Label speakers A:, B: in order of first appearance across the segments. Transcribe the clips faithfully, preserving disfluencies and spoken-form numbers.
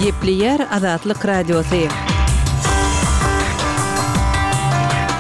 A: Gepleýär Azatlyk Radiosy.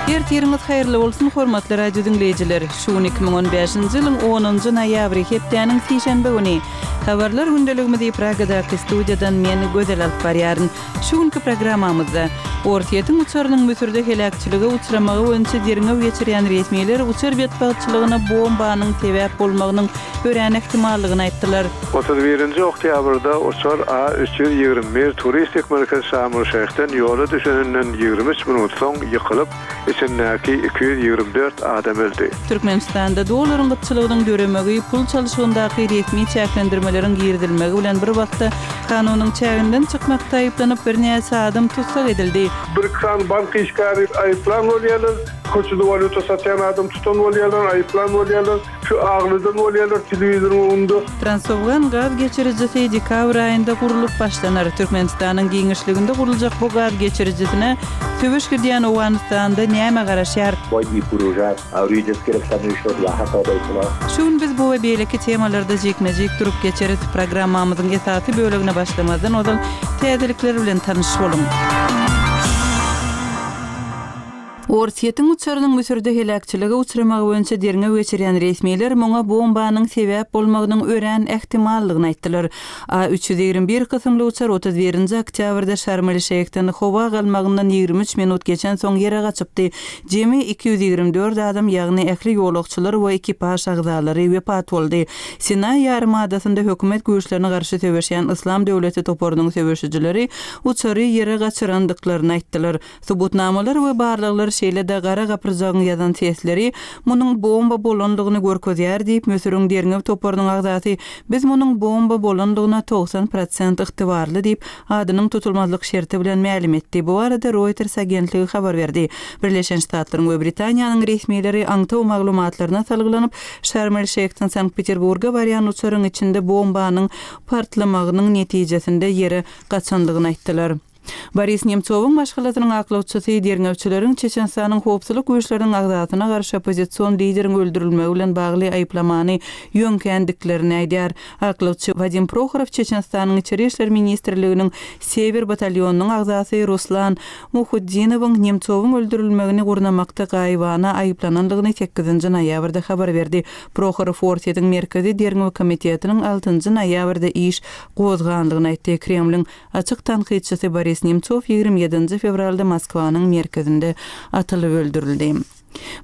A: Ertiriňiz haýyrly bolsun, hormatly radio diňleýjiler! Şu gün iki müň on bäşinji ýylyň onunjy noýabry, hepdäniň sişenbe güni. Habarlar gündeligimizi Pragadaky studiýadan men, Gözel alyp barýaryn. Şu günki programmamyzda, Orsýetiň uçarynyň Müsürde heläkçilige uçramagy boýunça derňew geçirýän resmiler uçar betbagtçylygyna bombanyň sebäp bolmagynyň örän ähtimallygyny aýtdylar.
B: Otuz birinji oktýabrda uçar A üç ýüz ýigrimi bir turistik merkez Şarm-el-Şeýhden ýola düşeninden ýigrimi üç minut soň ýykylyp, içindäki iki ýüz ýigrimi dört adam öldi.
A: Türkmenistanda dollaryň gytçylygynyň döremegi, pul çalşygyndaky resmi çäklendirmeleriň girizilmegi bilen bir wagtda kanunyň çäginden çykmakda aýyplanyp, birnäçe adam tussag edildi.
C: Bir iki sany bank işgäri aýyplan bolýarlar, köçede walýuta satýan adam tutan bolýarlar, aýyplan bolýarlar, şu agladan bolýarlar telewizoryň öňünde.
A: Transowgan gaz geçirijisi dekabr aýynda gurlup başlanar. Türkmenistanyň giňişliginde guruljak bu gaz geçirijisine söweş gidýän Owganystanda näme garaşýar? Şu gün biz bu we beýleki temalarda jikme-jik durup geçeris. Programmamyzyň esasy bölegine başlamazdan ozal täzelikler bilen tanyş boluň. Orsýetiň uçarynyň Müsürde heläkçilige uçramagy boýunça derňew geçirýän resmiler muňa bombanyň sebäp bolmagynyň örän ähtimallygyny aýtdylar. A üç ýüz ýigrimi bir kysymly uçar otuz birinji oktýabrda Şarm-el-Şeýhden howa galmagyndan ýigrimi üç minut geçensoň ýere gaçypdy. Jemi iki ýüz ýigrimi dört adam, ýagny ähli ýolagçylar we ekipaž agzalary wepat boldy. Sinaý ýarym adasynda hökümet güýçlerine garşy söweşýän Yslam döwleti toparynyň söweşijileri uçary ýere gaçyrandyklaryny aýtdylar. Subutnamalar we barlaglar şeýle-de gara gapyrjagyň ýazan sesleri munuň bomba bolandygyny görkezýär diýip, Müsüriň derňew toparynyň agzasy biz munuň bomba bolandygyna togsan prosent ygtybarly diýip, adynyň tutulmazlyk şerti bilen mälim etdi. Bu barada Reuters agentligi habar berdi. Birleşen Ştatlaryň we Britaniýanyň resmileri aňtaw maglumatlaryna salgylanyp, Şarm-el-Şeýhden Sankt-Peterburga barýan uçaryň içinde bombanyň partlamagynyň netijesinde ýere gaçandygyny aýtdylar. Boris Nemtsowyň maşgalasynyň aklawçysy derňewçileriň Çeçenistanyň howpsuzlyk güýçleriniň agzasyna garşy oppozision lideriň öldürilmegi bilen bagly aýyplamany ýöňkändiklerini aýdýar. Aklawçy Wadim Prohorow Çeçenistanyň Içeri işler ministrliginiň Sewer batalýonynyň agzasy Ruslan Muhuddinowyň Nemtsowyň öldürilmegini gurnamakda gaýybana aýyplanandygyny sekizinji noýabrda habar berdi. Prohorow Orsýetiň Merkezi Derňew komitetiniň altynjy noýabrda iş gozganlygyny aýtdy. Kremliň açyk tankytçysy Boris Nemtsov ýigrimi ýedinji fewralda Moskwanyň merkezinde atylyp öldürildi.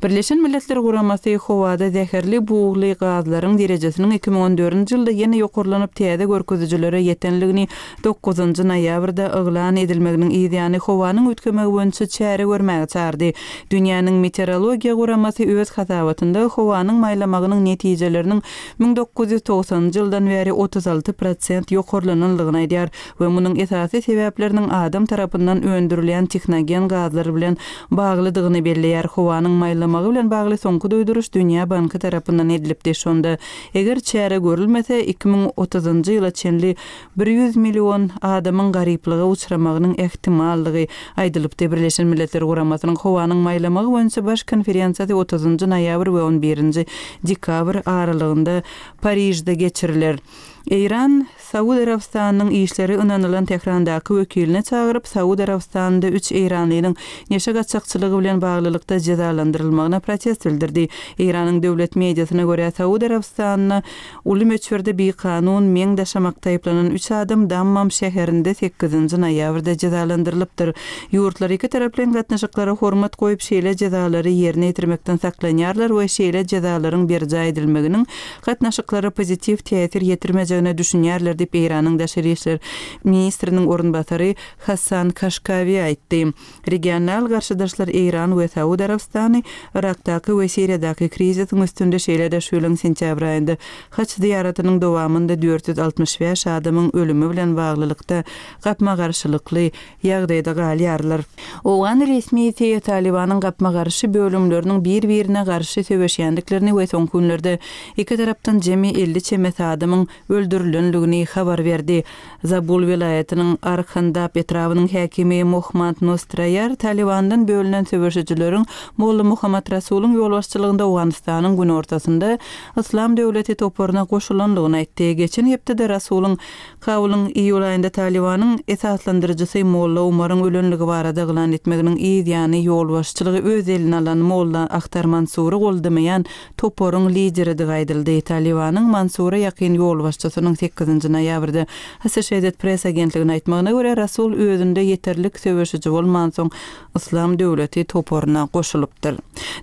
A: Birleşen Milletler Guramasy howada zäherli bugly gazlaryň derejesiniň iki müň on dördünji ýylda ýene ýokarlanyp täze görkezijilere ýetenligini dokuzynjy noýabrda yglan edilmeginiň yzýany howanyň üýtgemegi boýunça çäre görmäge çagyrdy. Dünýäniň meteorologiýa guramasy öz hasabatynda howanyň maýlamagynyň netijeleriniň müň dokuz ýüz togsanynjy ýyldan bäri otuz alty prosent ýokarlananlygyny aýdýar we munuň esasy sebäpleriniň adam tarapyndan öndürilýän tehnogen gazlar bilen baglydygyny belleýär. Howanyň maýlamagy bilen bagly soňky duýduryş Dünýä Banky tarapyndan edilipdi. Şonda eger çäre görülmese iki müň otuzynjy ýyla çenli bir ýüz million adamyň garyplyga uçramagynyň ähtimallygy aýdylypdy. Birleşen Milletler Guramasynyň howanyň maýlamagy boýunça baş konferensiýasy otuzynjy noýabr we on birinji dekabr aralygynda Parižde geçiriler. Eýran Saud Arabystanynyň işleri ynanylan Tehrandaky wekiline çagyryp, Saud Arabystanynda üç eýranlynyň neşe gaçakçylygy bilen baglylykda jezalandyrylmagyna protest bildirdi. Eýranyň döwlet mediasyna görä Saud Arabystanyna uly möçberde bikanun meň daşamakda aýyplanan üç adam Dammam şäherinde sekizinji noýabrda jezalandyrylypdyr. Ýurtlar iki taraplaýyn gatnaşyklara hormat goýup, şeýle jezalary ýerine ýetirmekden saklanýarlar we şeýle jezalaryň berjaý edilmeginiň gatnaşyklara pozitiw täsir ýetirmejegine düşünýärler diýip Eýranyň daşary işler ministriniň orunbasary Hasan Kaşkawi aýtdy. Regional garşydaşlar Eýran we Saud Arabystany Irakdaky we Siriýadaky krizisiň üstünde şeýle-de şu ýylyň sentýabr aýynda haç zyýaratynyň dowamynda dört ýüz altmyş bäş adamyň ölümi bilen baglylykda gapma-garşylykly ýagdaýda galýarlar. Owgan resmisi Talibanyň gapma-garşy bölümleriniň bir-birine garşy söweşýändiklerini we soňky günlerde iki tarapdan jemi elli çemesi adamyň öldürilendigini habar berdi. Zabul welaýatynyň Arhandap etrabynyň häkimi Mohmand Nostraýar Talybandan bölünen söweşijileriň Molla Muhammad Rasulyň ýolbaşçylygynda Owganystanyň günortasynda Yslam döwleti toparyna goşulandygyny aýtdy. Geçen hepdede Rasulyň Kabulyň iýul aýynda Talybanyň esaslandyryjysy Molla Umaryň ölenligi barada yglan etmeginiň yz ýany ýolbaşçylygy öz eline alan Molla Ahtar Mansury goldamaýan toparyň lideridigi aýdyldy. Talybanyň Mansura ýakyn ýolbaşçysynyň sekizinji noýabrda Associated Press agentligine aýtmagyna görä, Rasul özünde ýeterlik söweşiji bolmansoň, Yslam döwleti toparyna goşulypdyr.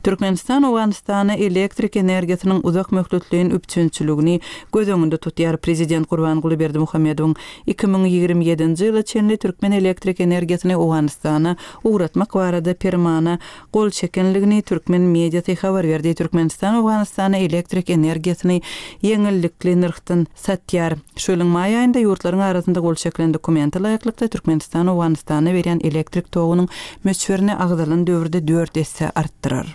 A: Türkmenistan Owganystana elektrik energiýasynyň uzak möhletleýin üpjünçiligini göz öňünde tutýar. Prezident Gurbanguly Berdimuhamedowyň iki müň ýigrimi ýedinji ýyla çenli türkmen elektrik energiýasyny Owganystana ugratmak barada permana gol çekenligini türkmen mediasy habar berdi. Türkmenistan Owganystana elektrik energiýasyny ýeňillikli nyrhdan satýar. Şu ýylyň maý aýynda ýurtlaryň arasynda gol çekilen dokumente laýyklykda Türkmenistan Owganystana berýän elektrik togunyň möçberini agzalan döwürde dört esse artdyrar.